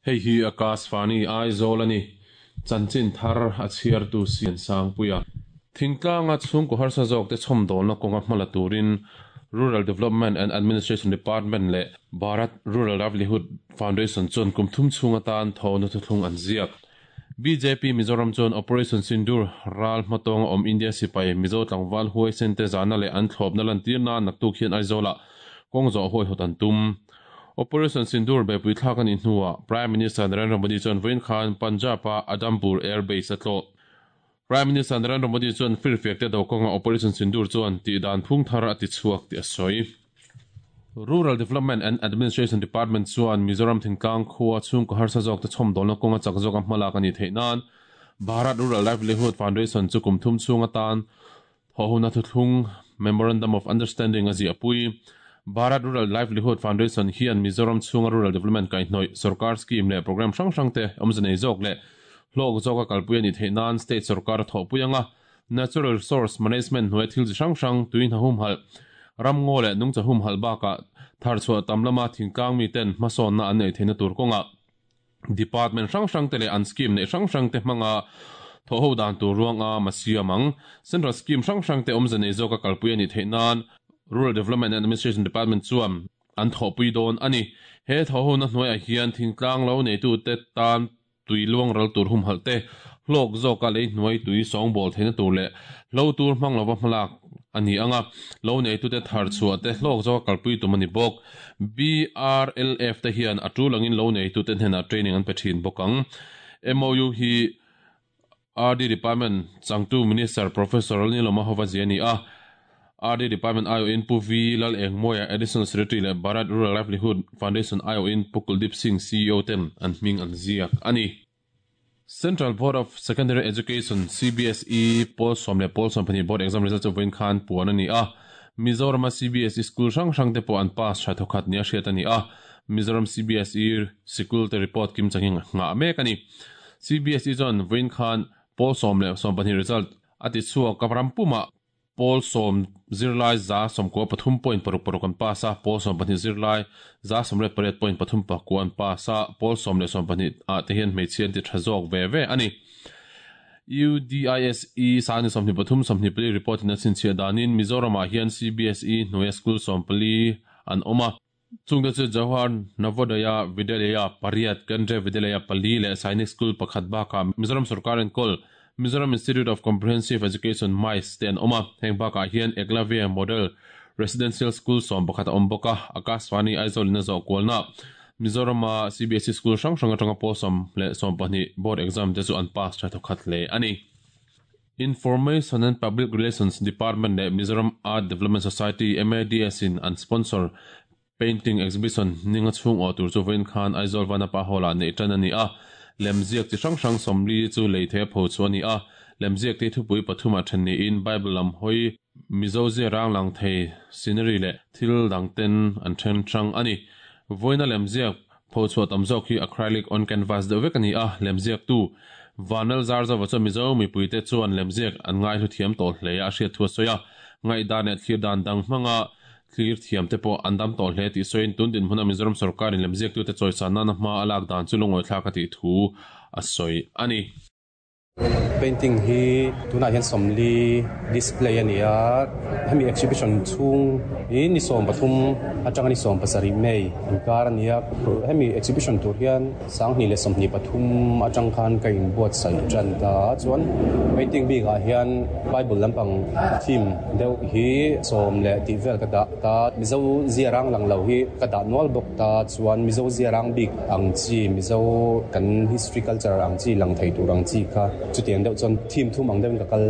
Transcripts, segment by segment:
Hei hi Akashvani Aizawl a ni. Chanchin thar a chhiartu Siansangpuia. Thingtlanga chhungkaw harsa zawkte chhawmdawlna kawnga hmala turin Rural Development and Administration Department leh Bharat Rural Livelihood Foundation chuan kum thum chhung atan thawhna thuthlung an ziak. Bjp Mizoram chuan Operation Sindoor ral hmatawnga awm India sipai Mizo tlangval huaisen te zahna leh an thlawpna lantir nan naktuk hian Aizawlah kawng zawh huaihawt an tum. Operation Sindoor beihpui thlak a nih hnuah Prime Minister Narendra Modi chuan vawiin khan Punjab-a Adampur Air Base a tlawh. Prime Minister Narendra Modi chuan firfiak te do kawnga Operation Sindoor chuan tih dan phung thar a ti chhuak tih a sawi. Rural Development and Administration Department chuan Mizoram thingtlang khua chhungkaw harsa zawkte chhawmdawlna kawnga chak zawka hmalak a nih theih nan Bharat Rural Livelihood Foundation chu kum thum chhung atan thawhhuna thuthlung Memorandum of Understanding a ziahpui. Bharat Rural Livelihood Foundation hian Mizoram chhunga rural development kaihhnawih sorkar scheme leh programme hrang hrangte awmze nei zawk leh hlawk zawka kalpui a nih theih nan state sorkar a thawhpui ang a, natural resource management hnuaia thil chi hrang hrang, tui hna humhalh, ramngaw leh nungcha humhalh bakah tharchhuah tam lama thingtlang miten hmasawnna an neih theihna tur kawngah department hrang hrangte leh an scheme neih hrang hrangte hmanga thawhho dan tur ruanga ma siam ang. Central scheme hrang hrangte awmze nei zawka kalpui a nih theih nan Rural Development and Administration Department chuan an thawhpui dawn a ni. He thawhhona hnuaiah hian thingtlang lo neitute tan tui luang ral tur humhalh te, hlawk zawka lei hnuai tui sawngbawl theihna tur leh hlo tur hmang lova hmalak a ni ang a, lo neitute thar chhuah te hlawk zawka kalpui tum a ni bawk. BRLF te hian a tul angin lo neitute hnenah training an pe thin bawk ang. MOU hi RD Department changtu Minister Professor Lalnilawma hova zia a ni a. RD Department aiawhin Pu V Lalengmawia, Additional Secretary leh Bharat Rural Livelihood Foundation aiawhin Pu Kuldeep Singh, CEO ten an hming an ziak a ni. Central Board of Secondary Education, CBSE, pawl sawm leh pawl 12 board exam result chu vawiin khan puan a ni a. Mizorama CBSE school hrang hrang te pawh an pass tha thawkhat nia hriat a ni a. Mizoram CBSE sikul te report kim changin nghah mek a ni. CBSE chuan vawiin khan pawl sawm leh 12 result a ti chhuak a, ram pumah Pawl sawm zirlai 98 point paruk paruk an pass a, pawl 12 zirlai 98 point pathum pakua an pass a, pawl sawm leh 12 ah te hian hmeichhia an ti tha zawk ve ve a ni. UDISE sangni 23 24 report in a chhinchhiah danin Mizoram ah hian CBSE hnuaia school 14 an awm a. Chungte chu Jawahar Navodaya Vidyalaya pariat, Kendriya Vidyalaya pali leh Sainik School pakhat bakah Mizoram sorkar enkawl Mizoram Institute of Comprehensive Education, MICE, te an awm a. Heng bakah hian Eklavya Model Residential School 11 a awm bawk a, Akashvani Aizawl in a zawh kualna Mizorama CBSE School hrang hrang atanga pawl sawm leh 12 board exam te chu an pass tha thawkhat hle a ni. Information and Public Relations Department leh Mizoram Art Development Society, MADS, in an sponsor Painting Exhibition ninga chhung awh tur chu vawiin khan Aizawl Vanapa Hall-ah neih tan a ni a. Lemziak chi hrang hrang 40 chu lei thei a pho chu a ni a. Lemziak te thupui pathumah then niin Bible lam hawi, Mizo zia rang lang thei, scenery leh thil dang ten an then hrang a ni. Vawiina lemziak Pho chhuah tam zawk hi acrylic on canvas deuh vek a ni a, lemziaktu Vanlal Zarzova chuan Mizo mipuite chuan lemziak an ngaihlu thiam tawh hle a, a hriat thu a sawi a. Ngaihdan leh thlir dan dang hmanga thlir thiam te pawh an dam tawh hle tih sawiin tun dinhmuna Mizoram sawrkarin lemziaktute chawisan nana hma a lak dan chu lungawithlak a tih thu a sawi a ni. Painting hi tunah hian 40 display a ni a, hemi exhibition chhung hi ni 13 atanga ni 17 May inkar a ni a, hemi exhibition tur hian 2023 atang khan ka inbuatsaih tan ta a, chuan painting bikah hian Bible lampang theme deuh hi sawm leh tih vel ka dah ta, Mizo ziarang lang lo hi ka dah nual bawk. Ta chuan Mizo ziarang bik ang chi, Mizo kan history culture ang chi lang thei tur ang chi kha chutiang deuh chuan theme thum ang deuhin ka kal.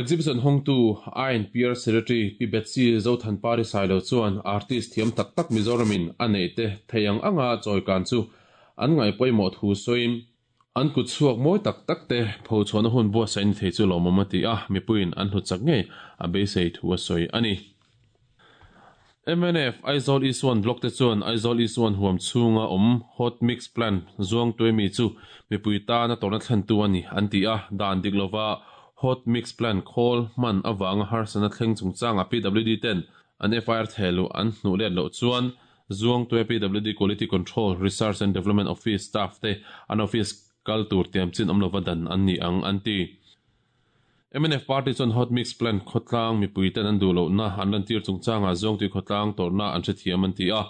Exhibition hawngtu INPR Secretary Pi Betsy Zothanpari Sailo chuan artist thiam tak tak Mizoramin a neih te thei ang anga chawikan chu an ngaihpawimawh thu sawiin an kut chhuak mawi tak tak te phochhuahna hun buatsaih ni thei chu lawmawm a ti a, mipuiin an hlut chak ngei a beisei thu a sawi a ni. Mnf Aizawl East One Block te chuan Aizawl East One huam chhunga awm Hot Mix Plant zuang tuaimi chu mipui tana tawrhna thlentu a ni an ti a, dan dik lova Hot Mix Plant khawl hman avanga harsatna thleng chungchanga PWD ten an FIR thehluh an hnuh let loh chuan Zuangtui PWD Quality Control, Research and Development Office staff te an office kal tur tiam chin awm lova dan an ni ang, an ti. Mnf party chuan hot mix plant khawtlang mipuiten an duh lohna an lantir chungchangah Zuangtui khawtlang tawrhna an hrethiam an ti a.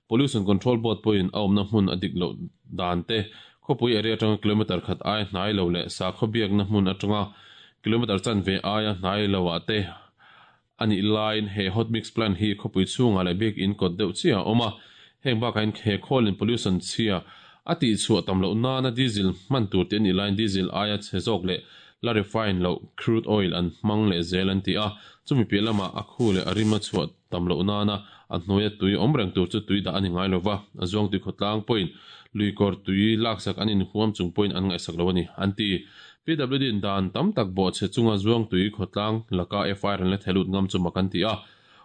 Pollution Control Board pawhin a awmna hmun a dik loh dan te, khawpui area atanga kilometre khat aia hnai lo leh sakhaw biakna hmun atanga kilometre chanve aia hnai lo ah te a nih laiin he hot mix plant hi khawpui chhungah leh bik in kawt deuh chiah a awm a, heng bakah hian he khawlin pollution chhia a tihchhuah tam loh nana diesel hman tur tih a nih laiin diesel aia chhe zawk leh la refine loh crude oil an hmang leh zel an ti a, chumi piah lamah a khu leh a rim a chhuah tam loh nana a hnuaia tui awm reng tur chu tui dah a ni ngai lova, a zuang tui khawtlang pawhin luikawr tui laksak an inhuam chung pawhin an ngaihsak lo a ni an ti. PWD in dan tam tak bawhchhe chunga Zuangtui khawtlang laka FIR an la theh lut ngam chu mak an ti a.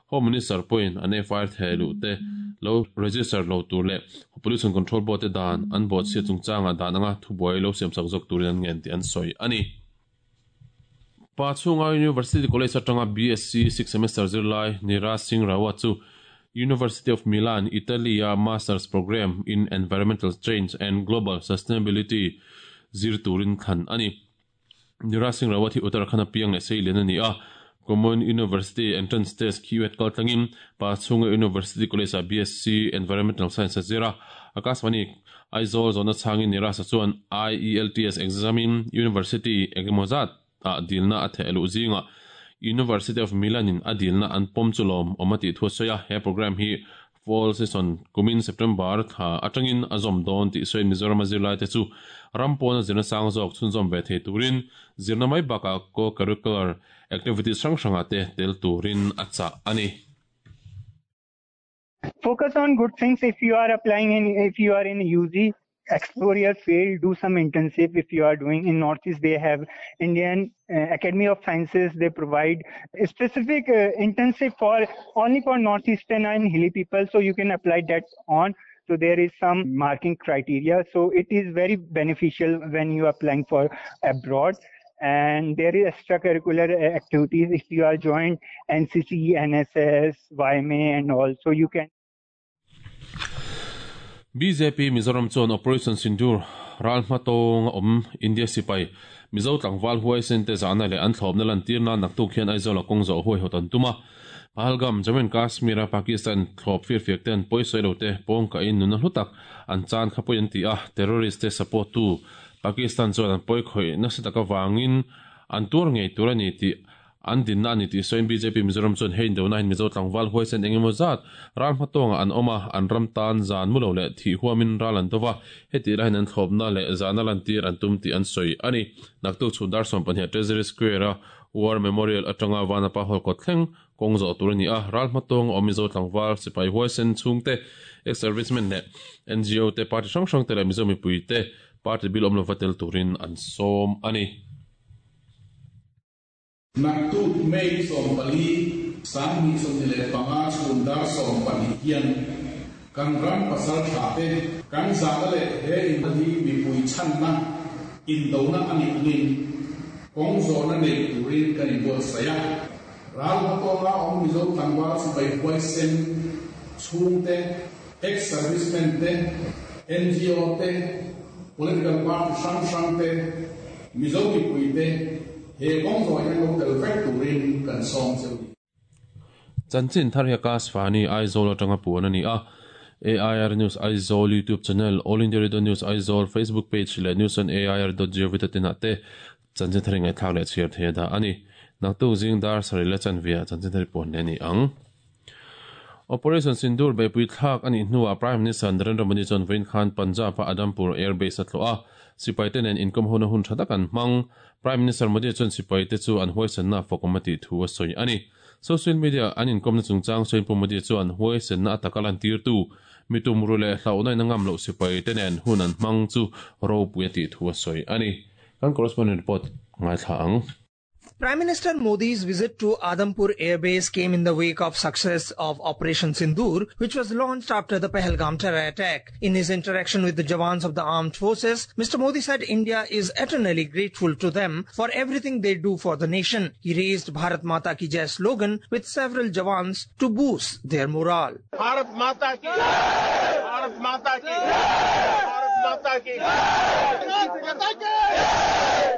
Home Minister pawhin an FIR theh luh te lo register lo tur leh Pollution Control Board te dan an bawhchhia chungchangah dan anga thubuai lo siamsak zawk turin an ngen tih an sawi a ni. Pa chhunga University College atanga BSc sixth semester zirlai Niraj Singh Rawat chu University of Milan, Italy-a Masters Programme in Environmental Change and Global Sustainability zir turin thlan a ni. Niraj Singh Rawat hi Uttarakhand-a piang leh seilian a ni a, Common University Entrance Test QET kal tlangin Pachhunga University College-ah BSc Environmental Science a zir a. Akashvani Aizawl zawhna chhangin Niraj-a chuan IELTS exam-in University engemaw zat ah dilna a theh luh zingah University of Milan in a dilna an pawm chu lawm awm a tih thu a sawi a, he programme hi Fall session kumin September thla atangin a zawm dawn tih sawiin Mizoram a zirlaite chu ram pawna zirna sang zawk chhunzawm ve thei turin zirna mai bakah co-curricular activities hrang hrangah te tel turin a chah a ni. Focus on good things if you are applying in if you are in UG explore your field do some internship if you are doing in northeast they have indian uh, academy of sciences they provide a specific uh, internship for only for northeastern and hilly people so you can apply that on so there is some marking criteria so it is very beneficial when you are applying for abroad and there is extracurricular uh, activities if you are joined ncc nss yma and all so you can BJP Mizoram chuan Operation Sindoor ral hmatawng a awm India sipai Mizo tlangval huaisen te zahna leh an thlawpna lantir nan naktuk hian Aizawl a kawng zawh huaihawt an tum a. Pahalgam, Jammu and Kashmir a Pakistan thlawp firfiak ten pawisawi lo te pawng kahin nuna hlu tak an chan kha pawi an ti a, terrorist te support tu Pakistan chuan an pawi khawih nasa tak avangin an tuar ngei tur a ni tih an dinna a ni tih sawiin bjp Mizoram chuan hei indona hian Mizo tlangval huaisen eng emaw zat ral hmatawngah an awm a, an ram tan zan mu lo leh thih huamin ral an dova, hetih laiin an thlawpna leh zahna lantir an tum tih an sawi a ni. Naktuk chhun dar 12 Treasury Square-a War Memorial atanga Vanapa Hall kawt thleng Kawng zawh tur a ni a, ral hmatawng a awm Mizo tlangval, sipai huaisen chhungte, ex-servicemen leh ngo te, party hrang hrang te leh Mizo mipui te party bil awm lova tel turin an sawm a ni. Naktuk May 14, 2025 chhun dar 12 hian kan ram pasal tha te kan zahna leh he in hi mipui chhanna indona a nih angin kawng zawhna nei turin kan inbuatsaih a. Ral hmatawnga awm Mizo tlangval sipai huaisen chhungte, ex-servicemen te, ngo te, political party hrang hrang te, Mizo mipui te he kawng zawh hian lo tel vek turin kan sawm cheu ni. Chanchin thar hi Akashvani Aizawl atanga puan a ni a. AIR News Aizawl YouTube channel, All India Radio News Aizawl Facebook page leh News on AIR dot gov dot in ah te Chanchin thar i ngaihthlak leh chhiar thei a dah a ni. Naktuk zing dar sarih la chanve ah chanchin thar i puan leh a ni ang. Operation Sindoor beihpui thlak a nih hnuah Prime Minister Narendra Modi chuan vawiin khan Punjab-a Adampur Air Base a tlawh a, sipaite nen inkawm hona hun tha tak an hmang. Prime Minister Modi chuan sipaite chu an huaisenna a fawkawm a tih thu a sawi a ni. Social media an inkawmna chungchang sawiin Pu Modi chuan huaisenna a taka lantirtu mi tumru leh hlauhna in a ngam loh sipaite nen hun an hmang chu ropui a tih thu a sawi a ni. Kan correspondent report ngaithla ang. Prime Minister Modi's visit to Adampur Air Base came in the wake of success of Operation Sindoor, which was launched after the Pahalgam terror attack. In his interaction with the Jawans of the armed forces, Mr. Modi said India is eternally grateful to them for everything they do for the nation. He raised Bharat Mata Ki Jai slogan with several Jawans to boost their morale. Bharat Mata Ki Bharat Mata Ki Bharat Mata Ki Bharat Mata Ki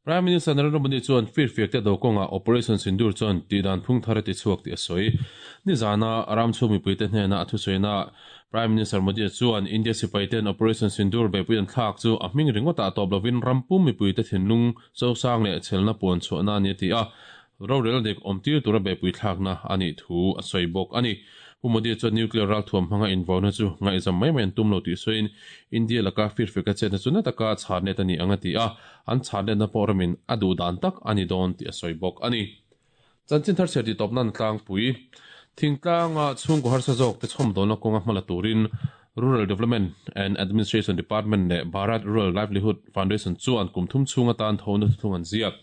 Prime Minister Narendra Modi chuan firfiak te do kawnga Operation Sindoor chuan tihdan phung thar a ti chhuak tih a sawi. Nizana ram chhung mipuite hnena a thusawiina Prime Minister Modi chuan India sipaiten Operation Sindoor beihpui an thlak chu a hming ringawtah tawp lovin ram pum mipuite thinlung chosang leh chhelna puan chhuahna a ni a ti a, rorel dik awmtir tura beihpui thlakna a nih thu a sawi bawk a ni. Pu Modi chuan nuclear ralthuam hmanga invauna chu ngaihzam mai mai an tum lo tih sawiin India laka firfeka chetna chu na taka chharnet a ni ang a ti a, an chharnetna pawh ramin a duh dan tak a ni dawn tih a sawi bawk a ni. Chanchin thar chhiar tih tawpna an tlangpui. Thingtlanga chhungkaw harsa zawk te chhawmdawlna kawnga hmala turin Rural Development and Administration Department leh Bharat Rural Livelihood Foundation chuan kum thum chhung atan thona thuthlung an ziak.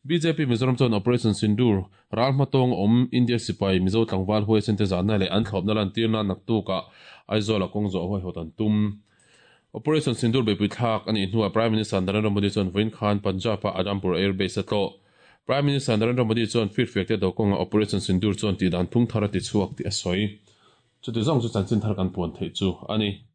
Bjp Mizoram chuan Operation Sindoor Ral hmatawng awm India sipai Mizo tlangval huaisen te zahna leh an thlawpna lantirna naktukah Aizawl-a kawng zawh huaihawt an tum. Operation Sindoor beihpui thlak a nih hnuah Prime Minister Narendra Modi chuan vawiin khan Punjab-a Adampur Air Base a tlawh. Prime Minister Narendra Modi chuan firfiak te do kawnga Operation Sindoor chuan tihdan phung thar a ti chhuak tih a sawi. Chuti zawng chu chanchin thar kan puan theih chu a ni.